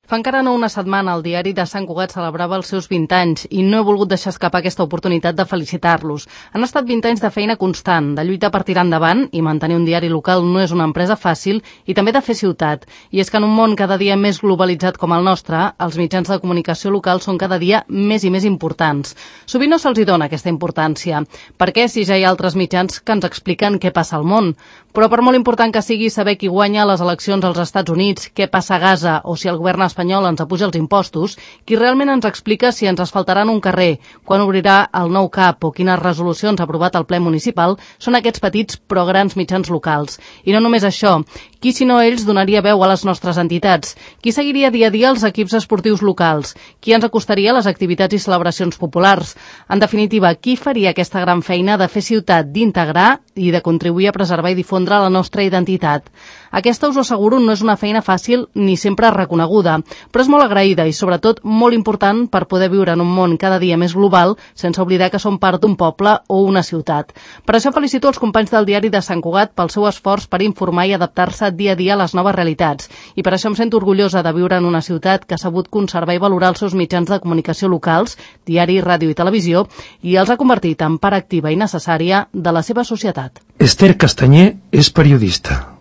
Fa encara no una setmana el diari de Sant Cugat celebrava els seus 20 anys i no he volgut deixar escapar aquesta oportunitat de felicitar-los. Han estat 20 anys de feina constant, de lluita per tirar endavant, i mantenir un diari local no és una empresa fàcil, i també de fer ciutat. I és que en un món cada dia més globalitzat com el nostre, els mitjans de comunicació locals són cada dia més i més importants. Sovint no se'ls dona aquesta importància. Per què, si ja hi ha altres mitjans que ens expliquen què passa al món? Però per molt important que sigui saber qui guanya les eleccions als Estats Units, què passa a Gaza o si el govern espanyol ens apuja els impostos, qui realment ens explica si ens asfaltaran un carrer, quan obrirà el nou CAP o quines resolucions ha aprovat el ple municipal, són aquests petits però grans mitjans locals. I no només això, qui si no ells donaria veu a les nostres entitats? Qui seguiria dia a dia els equips esportius locals? Qui ens acostaria a les activitats i celebracions populars? En definitiva, qui faria aquesta gran feina de fer ciutat, d'integrar i de contribuir a preservar i difondre la nostra identitat? Aquesta, us ho asseguro, no és una feina fàcil ni sempre reconeguda, però és molt agraïda i, sobretot, molt important per poder viure en un món cada dia més global sense oblidar que som part d'un poble o una ciutat. Per això felicito els companys del diari de Sant Cugat pel seu esforç per informar i adaptar-se dia a dia a les noves realitats. I per això em sento orgullosa de viure en una ciutat que ha sabut conservar i valorar els seus mitjans de comunicació locals, diari, ràdio i televisió, i els ha convertit en part activa i necessària de la seva societat. Esther Castanyer és periodista.